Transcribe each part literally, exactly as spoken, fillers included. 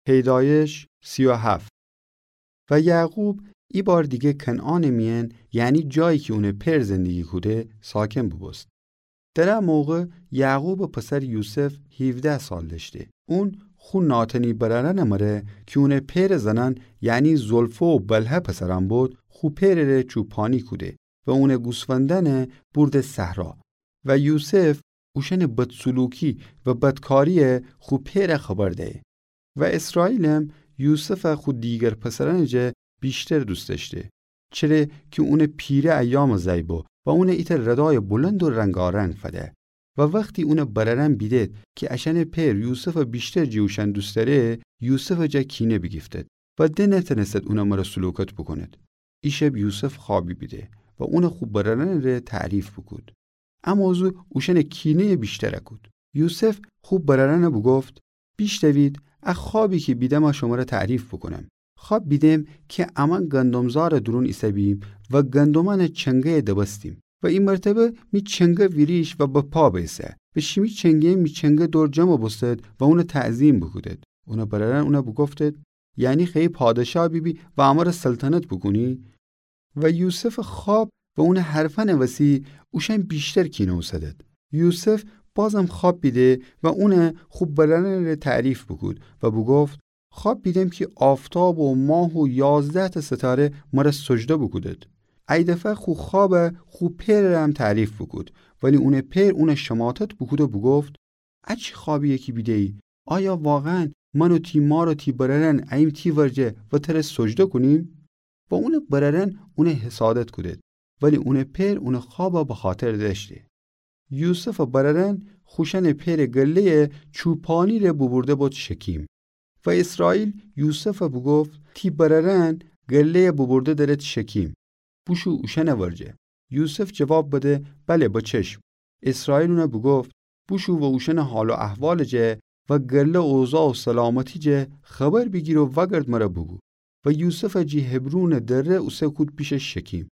پیدایش سی و هفت. و یعقوب ایبار دیگه کنعانٚ میأن، یعنی جایی کی اونٚ پئر زندگی کوده، ساکن بوبوست. در ا موقع یعقوبٚ پسر یوسف هیوده سال دأشته. اون خو ناتنی برأرأنٚ مره کی اونٚ پئرٚ زنأن، یعنی زلفه و بلهه پسرأن بود، خو پئرٚ ره چوپانی کوده و اونٚ گوسفندأنَ بورده صحرا. و یوسف اوشأنٚ بدسلوکی و بدکاریَ خو پئرَ خبر دیه. و اسرائیلم یوسفَ خو دیگر پسرأنٚ جا ویشتر دوست دأشته، چره کی اونٚ پیره ایامٚ زأی بو و اونَ ایتأ ردایٚ بلند و رنگارنگ فده. و وختی اونٚ برأرأن بیدد کی اشأنٚ پئر یوسفَ ویشتر جٚه اوشأن دوست دأره، یوسفٚ جا کینه بیگیفتد و ده نتأنستد اونٚ مره سلوکت بوکوند. ای شب یوسف خوأبی بیده و اونَ خو برأرأنٚ ره تعریف بوکود. ا موضوع اوشأنٚ کینه‌یَ ویشتر کود. یوسف خو برأرأنَ بوگفت: بیشنوید، ا خوأبی کی بیدمَ شمره تعریف بوکونم. خوأب بیدم کی امأن گندمزارٚ دورون ایسه‌بیم و گندمأنٚ چنگه‌یَ دبستیم و ای مرتبه می چنگه ویریشت و به پا بیسه و شیمی چنگه‌یأن می چنگه دور جمع بوستد و اونَ تعظیم بوکودد. اونٚ برأرأن اونَ بوگفتد: یعنی خوأیی پادشاه بیبی و امره سلطنت بوکونی؟ و یوسفٚ خوأب و اونٚ حرفأنٚ وسی اوشأن ویشتر کینه اوسدد. یوسف بازم خوأب بیده و اونَ خو برأرأنٚ ره تعریف بوکود و بوگفت: خوأب بیدم کی آفتاب و ماه و یازده‌تأ ستاره مره سجده بوکودد. ای دفعه خو خوأبَ خو پئرٚ ره‌م تعریف بوکود، ولی اونٚ پئر اونَ شماتت بوکود و بوگفت: ا چی خوأبی‌یه کی بیده‌یی؟ آیا واقعاً من و تی مار و تی برأرأن اییم تی ورجه و تره سجده کونیم؟ و اونٚ برأرأن اونَ حسادت کودد، ولی اونٚ پئر اونٚ خوأبَ بخاطر دأشته. یوسفٚ برأرأن خوشأنٚ پئرٚ گله‌یَ چوپانی ره بوبورده بود شکیم. و اسرائیل یوسفَ بوگفت: تی برأرأن گله‌یَ بوبورده دأرد شکیم. بوشو اوشأنٚ ورجه. یوسف جواب بده: بله، به چشم. اسرائیل اونَ بوگفت: بوشو و اوشأنٚ حال و احوالٚ جا و گله اوضاع و سلامتی جا خبر بیگیر و وأگرد مره بوگو. و یوسفَ جٚه حبرونٚ دره اوسه کود پیشٚ شکیم.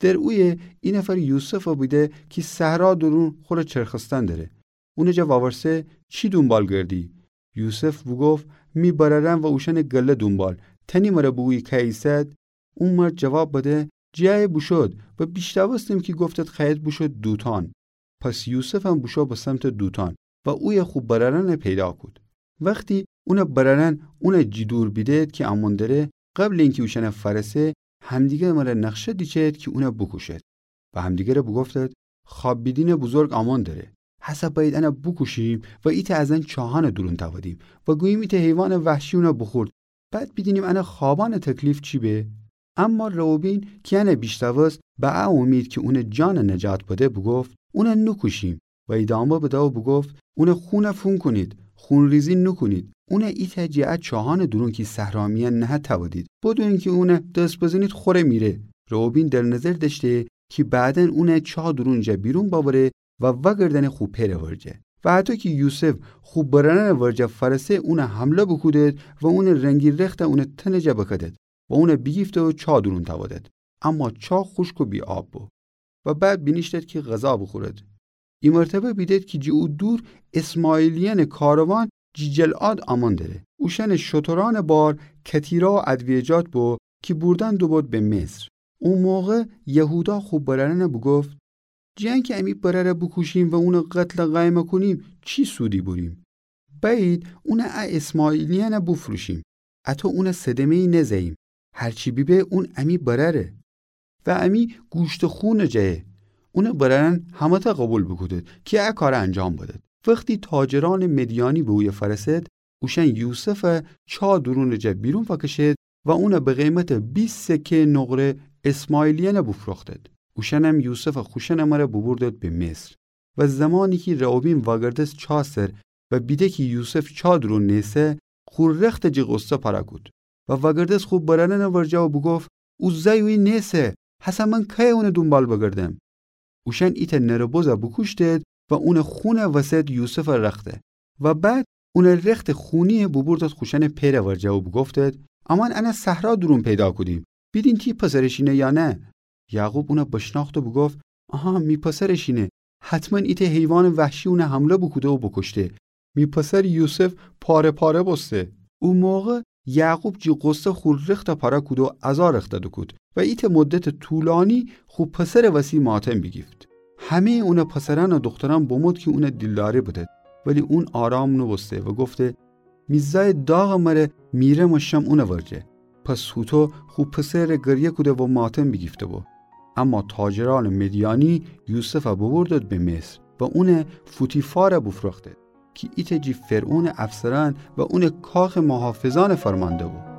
در اویه ای نفر یوسفَ بیده کی صحرا دورون خوره چرخستن دره. اونٚ جا وأورسه: چی دونبال گردی؟ یوسف بوگفت: می برأرأن و اوشأنٚ گله دونبال. تأنی مره بوگویی کأیه ایسد؟ او مرد جواب بده: جٚه ایه بوشود و بیشنوستم کی گفتید خوأیید بوشود دوتان. پس یوسفم بوشو به سمتٚ دوتان و اویه خو برأرأنَ پیدا کود. وختی اونٚ برأرأن اونَ جٚه دور بیدد کی امون دره، قبلٚ اینکی اوشأنَ فأرسه، همدیگرٚ مره نقشه دیچید کی اونَ بوکوشید. و همدیگرَ بوگفتید: خوأب بیدینٚ بزرگ امون دره. هسه بأیید انَ بوکوشیم و ایتأ از ان چاهأنٚ دورون تأودیم و گوییم ایتأ حیوانٚ وحشی اونَ بوخورد. بعد بیدینیم انٚ خوأبأنٚ تکلیف چی به؟ اما روبین کی انَ بیشنوست، به ا امید کی اونٚ جانَ نجات بده، بوگفت: اونَ نوکوشیم. و ایدامه بده و بوگفت: اونٚ خونَ فون کونید، خونریزی نوکونید. اونَ ایتأ جٚه ا چاهأنٚ دورون کی صحرا میأن نهه تأودید. بدون کی اونَ دس بزنید خوره میره. روبین در نظر دأشته کی بعداً اونَ چاه دورونٚ جا بیرون بأوره و وأگردأنه خو پئرٚ ورجه. و هطو کی یوسف خو برأرأنٚ ورجه فأرسه، اونَ حمله بوکودد و اونٚ رنگی رختَ اونٚ تنٚ جا بکدد و اونَ بیگیفته و چاه دورون تأودد. اما چاه خوشک و بی‌آب بو. و بعد بینیشتد کی غذا بوخورد. ای مرتبه بیدد کی جٚه او دور اسماعیلیأنٚ کاروان جٚه جلعاد امون دره. اوشأنٚ شترأنٚ بار کتیرا و ادویجات بو کی بوردن دوبود به مصر. او موقع یهودا خو برأرأنَ بوگفت: جٚه انکی امی برأرَ بوکوشیم و اونَ قتلٚ قیمَ کونیم، چی سودی بوریم؟ بأیید اونَ ا اسماعیلیأنَ بوفروشیم. اطو اونَ صدمه‌یی نزه‌ییم. هرچی بیبه اون امی برأره. و امی گوشت و خونٚ جایه. اونٚ برأرأن همه‌تأ قوبیل بوکودد کی ا کارَ انجام بدد. وختی تاجرأنٚ مدیانی به اویه فأرسد، اوشأن یوسفَ چاه دورونٚ جا بیرون فأکشد و اونَ به قیمتٚ بیست سکه نقره اسماعیلیأنَ بوفروختد. اوشأنم یوسفَ خوشأنٚ مره بوبوردد به مصر. و زمانی کی روبین وأگردست چاه سر و بیده کی یوسف چاه دورون نیسه، خو رختَ جٚه غصه پرَ کود. و وأگردست خو برأرأنٚ ورجه و بوگفت: او زأی اویه نیسه، هسه من کأیه اونٚ دونبال بگردم؟ اوشأن ایتأ نرٚ بزَ بوکوشتد و اونٚ خونَ وسد یوسفٚ رختَ. و بعد اونٚ رختٚ خونیَ بوبوردد خوشأنٚ پئرٚ ورجه و بوگفتد: امأن انَ صحرا دورون پیدا کودیم. بیدین تی پسرٚ شینه یا نه؟ یعقوب اونَ بشنأخت و بوگفت: آها، می پسرٚ شینه. حتماً ایتأ حیوانٚ وحشی اونَ حمله بوکوده و بوکوشته. می پسر یوسف پاره پاره بوسته. او موقع یعقوب جی غصه خو رخت پره کود و عزا رخته دوکود و ایته مدت طولانی خو پسر وسی ماتم بیگیفت. همهٔ اونٚ پسرأن و دوخترأن بمود کی اونٚ دیلداری بدد، ولی اون آرام نوبوسته و گفته: می زأی داغٚ مره، میرم و شم اونٚ ورجه. پس هوطو خو پسرٚ ره گریه کوده و ماتم بیگیفته بو. اما تاجرأنٚ مدیانی یوسف ببردد به مصر و اون فوتیفار بوفروختد کی ایته جی فرعونٚ افسرأن و اونٚ کاخٚ محافظأن فرمانده بو.